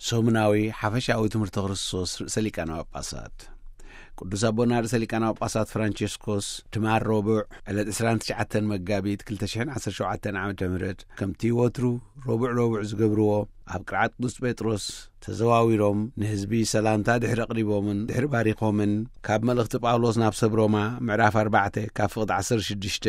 ሰሙናዊ ሓፈሻዊ ትምህርቲ ክርስቶስ ርእሰ ሊቃነ ጳጳሳት። ቅዱስ ኣቦና ርእሰ ሊቃነ ጳጳሳት ፍራንቸስኮስ ትማል ረቡዕ ዕለት ዕስራን ትሽዓተን መጋቢት ክልተ ሽሕን ዓሰርተ ሸውዓተን ዓመተ ምህረት ከምቲ ወትሩ ረቡዕ ረቡዕ ዝገብርዎ ኣብ ቅርዓት ቅዱስ ጴጥሮስ ተዘዋዊሮም ንህዝቢ ሰላምታ ድሕሪ ኣቕሪቦምን ድሕሪ ባሪኾምን ካብ መልእኽቲ ጳውሎስ ናብ ሰብ ሮማ ምዕራፍ ኣርባዕተ ካብ ፍቕዲ ዓሰርተ ሽዱሽተ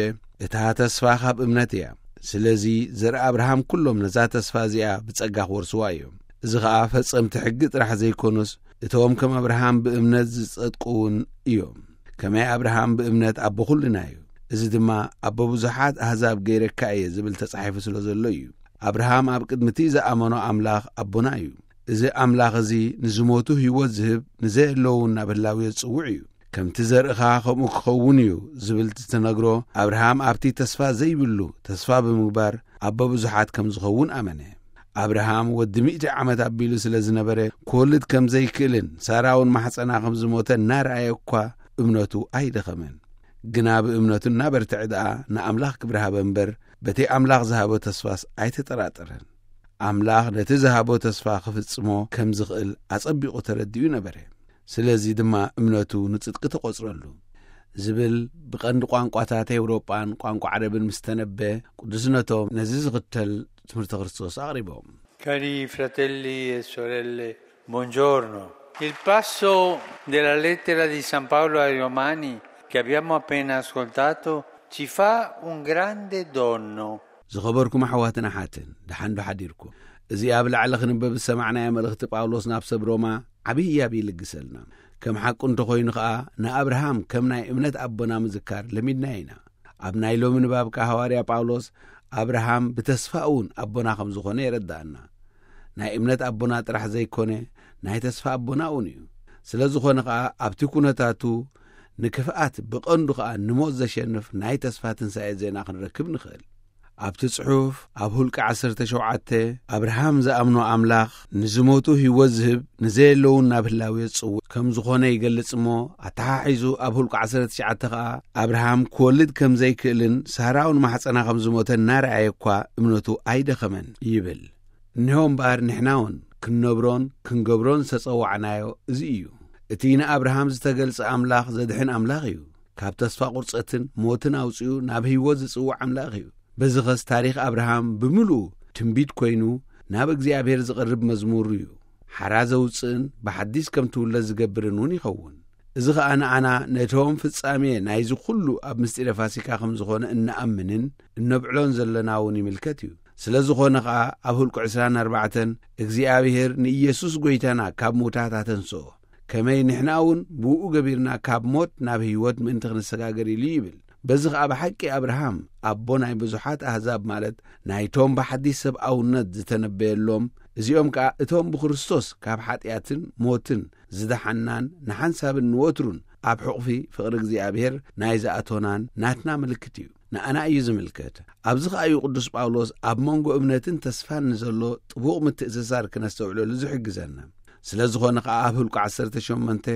እታ ተስፋ ካብ እምነት እያ። ስለዚ ዘርኢ ኣብርሃም ኩሎም ነዛ ተስፋ እዚኣ ብጸጋ ክወርስዋ እዮም። እዚ ኸኣ ፈጸምቲ ሕጊ ጥራሕ ዘይኮኑስ እቶም ከም ኣብርሃም ብእምነት ዝጸድቁ እውን እዮም። ከመይ ኣብርሃም ብእምነት ኣቦ ኩልና እዩ። እዚ ድማ ኣቦ ብዙሓት ኣህዛብ ገይረካ እየ ዝብል ተጻሒፉ ስለ ዘሎ እዩ። ኣብርሃም ኣብ ቅድሚ እቲ ዝኣመኖ ኣምላኽ ኣቦና እዩ። እዚ ኣምላኽ እዚ ንዝሞቱ ህይወት ዝህብ ንዘየለዉ ናብ ህላዊ ዝጽውዕ እዩ። ከምቲ ዘርእኻ ከምኡ ክኸውን እዩ ዝብል ዝተነግሮ ኣብርሃም ኣብቲ ተስፋ ዘይብሉ ተስፋ ብምግባር ኣቦ ብዙሓት ከም ዝኸውን ኣመነ። ኣብርሃም ወዲ ሚእቲ ዓመት ኣቢሉ ስለ ዝነበረ ክወልድ ከም ዘይክእልን ሳራ እውን ማሕጸና ከም ዝሞተ እናረኣየ እኳ እምነቱ ኣይደኸመን። ግና ብእምነቱ እናበርትዐ ደኣ ንኣምላኽ ክብሪ ሃበ እምበር በቲ ኣምላኽ ዝሃቦ ተስፋስ ኣይተጠራጠረን። ኣምላኽ ነቲ ዝሃቦ ተስፋ ክፍጽሞ ከም ዝኽእል ኣጸቢቑ ተረዲኡ ነበረ። ስለዚ ድማ እምነቱ ንጽድቂ ተቖጽረሉ። ዝብል ብቐንዲ ቋንቋታት ኤውሮጳን ቋንቋ ዓረብን ምስ ተነበ ቅዱስነቶም ነዚ ዝኽተል ትምህርቲ ክርስቶስ ኣቕሪቦም። Cari fratelli e sorelle, buongiorno. Il passo della lettera di San Paolo ai Romani che abbiamo appena ascoltato ci fa un grande dono. ዝኸበርኩም ኣሕዋትን ኣሓትን፣ ደሓን ዶ ሓዲርኩም? እዚ ኣብ ላዕሊ ክንበብ ዝሰማዕናዮ መልእኽቲ ጳውሎስ ናብ ሰብ ሮማ ዓብዪ ህያብ ይልግሰልና። ከም ሓቁ እንተኾይኑ ኸኣ፣ ንኣብርሃም ከም ናይ እምነት ኣቦና ምዝካር ለሚድናዮ ኢና። ኣብ ናይ ሎሚ ንባብ ከኣ ሃዋርያ ጳውሎስ ኣብርሃም ብተስፋ እውን ኣቦና ከም ዝኾነ የረድኣና። ናይ እምነት ኣቦና ጥራሕ ዘይኮነ፣ ናይ ተስፋ ኣቦና እውን እዩ። ስለ ዝኾነ ኸኣ ኣብቲ ኩነታቱ ንክፍኣት ብቐንዱ ኸኣ ንሞት ዘሸንፍ ናይ ተስፋ ትንሳኤ ዜና ክንረክብ ንኽእል። ኣብቲ ጽሑፍ ኣብ ሁልቂ ዓሰርተ ሸውዓተ ኣብርሃም ዝኣምኖ ኣምላኽ ንዝሞቱ ህይወት ዝህብ ንዘየለውን ናብ ህላዌ ዝጽውዕ ከም ዝኾነ ይገልጽ እሞ፣ ኣተሓሒዙ ኣብ ሁልቂ ዓሰርተ ትሽዓተ ኸኣ ኣብርሃም ክወልድ ከም ዘይክእልን ሳራ እውን ማሕጸና ከም ዝሞተ እናረኣየ እኳ እምነቱ ኣይደኸመን ይብል። እነሆ እምበኣር ንሕና እውን ክንነብሮን ክንገብሮን ዝተጸዋዕናዮ እዚ እዩ። እቲ ንኣብርሃም ዝተገልጸ ኣምላኽ ዘድሕን ኣምላኽ እዩ። ካብ ተስፋ ቁርጸትን ሞትን ኣውጺኡ ናብ ህይወት ዝጽውዕ ኣምላኽ እዩ። በዚ ኸስ ታሪኽ ኣብርሃም ብምሉኡ ትንቢት ኮይኑ ናብ እግዚኣብሔር ዝቐርብ መዝሙር እዩ። ሓራ ዘውጽእን ብሓዲስ ከም ትውለድ ዝገብርን እውን ይኸውን። እዚ ኸኣ ንኣና ነቶም ፍጻሜ ናይዚ ኹሉ ኣብ ምስጢረ ፋሲካ ከም ዝኾነ እንኣምንን እነብዕሎን ዘለና እውን ይምልከት እዩ። ስለ ዝኾነ ኸኣ ኣብ ሁልቁ ዕስራን ኣርባዕተን እግዚኣብሔር ንኢየሱስ ጐይታና ካብ ምውታት ኣተንስኦ፣ ከመይ ንሕና እውን ብእኡ ገቢርና ካብ ሞት ናብ ህይወት ምእንቲ ክንሰጋገር ኢሉ ይብል። በዚ ኸኣ ብሓቂ ኣብርሃም ኣቦ ናይ ብዙሓት ኣህዛብ ማለት ናይቶም ብሓዲስ ሰብኣውነት ዝተነበየሎም፣ እዚኦም ከኣ እቶም ብክርስቶስ ካብ ሓጢኣትን ሞትን ዝደሓንናን ንሓንሳብን ንወትሩን ኣብ ሕቑፊ ፍቕሪ እግዚኣብሔር ናይ ዝኣቶናን ናትና ምልክት እዩ። ንኣና እዩ ዝምልከት። ኣብዚ ኸኣ እዩ ቅዱስ ጳውሎስ ኣብ መንጎ እምነትን ተስፋን ንዘሎ ጥቡቕ ምትእስሳር ክነስተውዕለሉ ዝሕግዘና። ስለ ዝኾነ ኸኣ ኣብ ህልቁ ዓሰርተ ሸሞንተ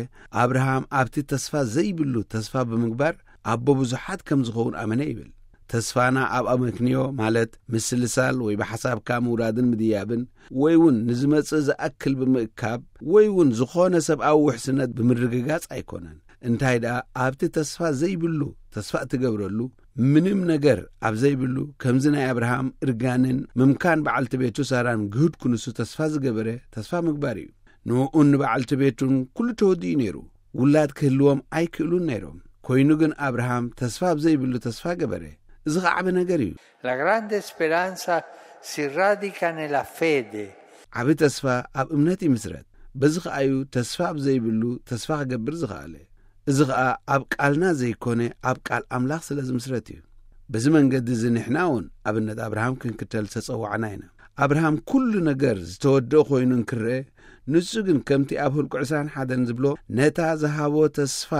ኣብርሃም ኣብቲ ተስፋ ዘይብሉ ተስፋ ብምግባር ኣቦ ብዙሓት ከም ዝኸውን ኣመነ ይብል። ተስፋና ኣብ ኣመክንዮ ማለት ምስልሳል ወይ ብሓሳብካ ምውራድን ምድያብን ወይ እውን ንዝመጽእ ዝኣክል ብምእካብ ወይ እውን ዝኾነ ሰብኣዊ ውሕስነት ብምርግጋጽ ኣይኮነን። እንታይ ደኣ ኣብቲ ተስፋ ዘይብሉ ተስፋ እትገብረሉ ምንም ነገር ኣብ ዘይብሉ ከምዚ ናይ ኣብርሃም እርጋንን ምምካን በዓልቲ ቤቱ ሳራን ግህድ ክንሱ ተስፋ ዝገበረ ተስፋ ምግባር እዩ። ንእኡን ንበዓልቲ ቤቱን ኩሉ ተወዲኡ ነይሩ። ውላድ ክህልዎም ኣይክእሉን ነይሮም። ኮይኑ ግን ኣብርሃም ተስፋ ኣብ ዘይብሉ ተስፋ ገበረ። እዚ ኸዓ ዓቢ ነገር እዩ። La grande speranza si radica nella fede. ዓቢ ተስፋ ኣብ እምነት ይምስረት። በዚ ኸኣ እዩ ተስፋ ኣብ ዘይብሉ ተስፋ ክገብር ዝኸኣለ። እዚ ኸኣ ኣብ ቃልና ዘይኮነ ኣብ ቃል ኣምላኽ ስለ ዝምስረት እዩ። በዚ መንገዲ እዚ ንሕና እውን ኣብነት ኣብርሃም ክንክተል ዝተጸዋዕና ኢና። ኣብርሃም ኩሉ ነገር ዝተወደአ ኮይኑ እንክርአ፣ ንሱ ግን ከምቲ ኣብ ህልቁ ዕስራን ሓደን ዝብሎ ነታ ዝሃቦ ተስፋ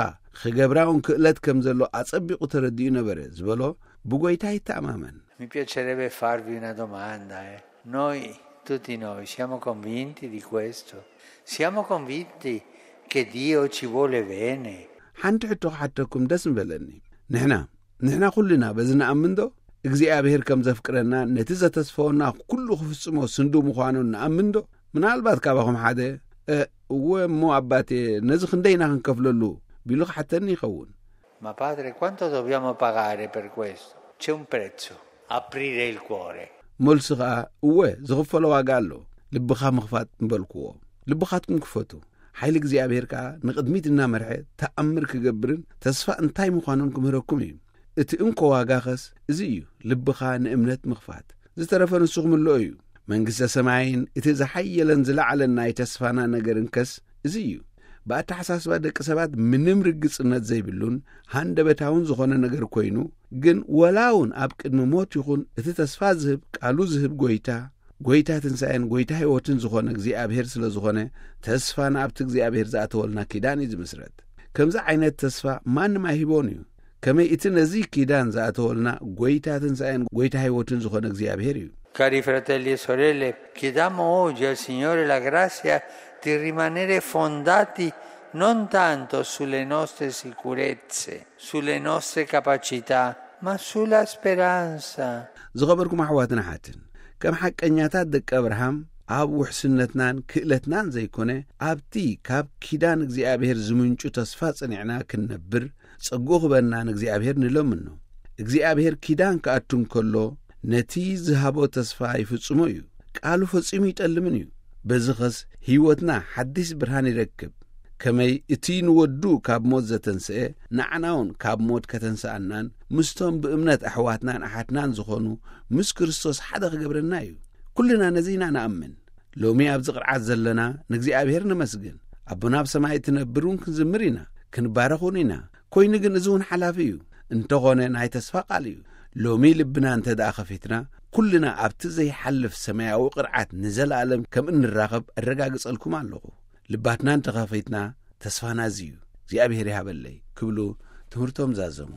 ክገብራ እውን ክእለት ከም ዘሎ ኣጸቢቑ ተረዲኡ ነበረ ዝበሎ ብጎይታ ይተኣማመን። Mi piacerebbe farvi una domanda, eh. Noi, tutti noi, siamo convinti di questo? Siamo convinti che Dio ci vuole bene? ሓንቲ ሕቶ ክሓተኩም ደስ ምበለኒ። ንሕና ንሕና ኩልና በዚ ንኣምን ዶ? እግዚኣብሔር ከም ዘፍቅረና ነቲ ዘተስፈወና ኩሉ ክፍጽሞ ስንዱ ምዃኑ ንኣምን ዶ? ምናልባት ካባኹም ሓደ፣ "እ፣ እወ እሞ ኣባቴ፣ ነዚ ክንደይና ክንከፍለሉ?" ቢሉ ክሓተኒ ይኸውን። Ma padre, quanto dobbiamo pagare per questo? C'è un prezzo. Aprire il cuore. መልሱ ኸኣ፣ "እወ፣ ዝኽፈሎ ዋጋ ኣሎ፣ ልብኻ ምኽፋት" ምበልክዎ። ልብኻትኩም ክፈቱ፣ ሓይሊ እግዚኣብሔር ከኣ ንቕድሚት እናመርሐ ተኣምር ክገብርን ተስፋ እንታይ ምዃኑን ክምህረኩም እዩ። እቲ እንኮ ዋጋኸስ እዚ እዩ፣ ልብኻ ንእምነት ምኽፋት። ዝተረፈ ንሱ ክምልኦ እዩ። መንግስተ ሰማይን እቲ ዝሓየለን ዝለዓለን ናይ ተስፋና ነገርንከስ እዚ እዩ። ብኣተሓሳስባ ደቂ ሰባት ምንም ርግጽነት ዘይብሉን ሃንደበታውን ዝኾነ ነገር ኮይኑ፣ ግን ወላ እውን ኣብ ቅድሚ ሞት ይኹን እቲ ተስፋ ዝህብ፣ ቃሉ ዝህብ ጎይታ፣ ጎይታ ትንሳኤን ጎይታ ህይወትን ዝኾነ እግዚኣብሔር ስለ ዝኾነ፣ ተስፋና ኣብቲ እግዚኣብሔር ዝኣተወልና ኪዳን እዩ ዝምስረት። ከምዚ ዓይነት ተስፋ ማንም ኣይህቦን እዩ። ከመይ እቲ ነዚ ኪዳን ዝኣተወልና ጎይታ ትንሳኤን ጎይታ ህይወትን ዝኾነ እግዚኣብሔር እዩ። Cari fratelli e sorelle, chiediamo oggi al Signore la grazia di rimanere fondati non tanto sulle nostre sicurezze, sulle nostre capacità, ma sulla speranza. ዝኸበርኩም ኣሕዋትን ኣሓትን፣ ከም ሓቀኛታት ደቂ ኣብርሃም ኣብ ውሕስነትናን ክእለትናን ዘይኮነ፣ ኣብቲ ካብ ኪዳን እግዚኣብሔር ዝምንጩ ተስፋ ጽኒዕና ክንነብር ጸግኡ ክበና ንእግዚኣብሔር ንለምኖ። እግዚኣብሔር ኪዳን ክኣቱ እንከሎ፣ ነቲ ዝሃቦ ተስፋ ይፍጽሞ እዩ። ቃሉ ፈጺሙ ይጠልምን እዩ። በዚ ኸስ ህይወትና ሓዲስ ብርሃን ይረክብ። ከመይ እቲ ንወዱ ካብ ሞት ዘተንስአ፣ ንዓና እውን ካብ ሞት ከተንስኣናን ምስቶም ብእምነት ኣሕዋትናን ኣሓትናን ዝኾኑ ምስ ክርስቶስ ሓደ ክገብረና እዩ። ኩልና ነዚ ኢና ንኣምን። ሎሚ ኣብዚ ቅርዓት ዘለና ንእግዚኣብሔር ነመስግን። ኣቦና ኣብ ሰማይ እትነብር እውን ክንዝምር ኢና፣ ክንባረኽ እውን ኢና። ኮይኑ ግን እዚ እውን ሓላፊ እዩ። እንተኾነ ናይ ተስፋ ቃል እዩ። ሎሚ ልብና እንተ ደኣ ከፊትና፣ ኩልና ኣብቲ ዘይሓልፍ ሰማያዊ ቅርዓት ንዘለኣለም ከም እንራኸብ ኣረጋግጸልኩም ኣለኹ። ልባትና እንተኸፊትና፣ ተስፋና እዚ እዩ። እግዚኣብሔር ይሃበለይ ክብሉ ትምህርቶም ዛዘሙ።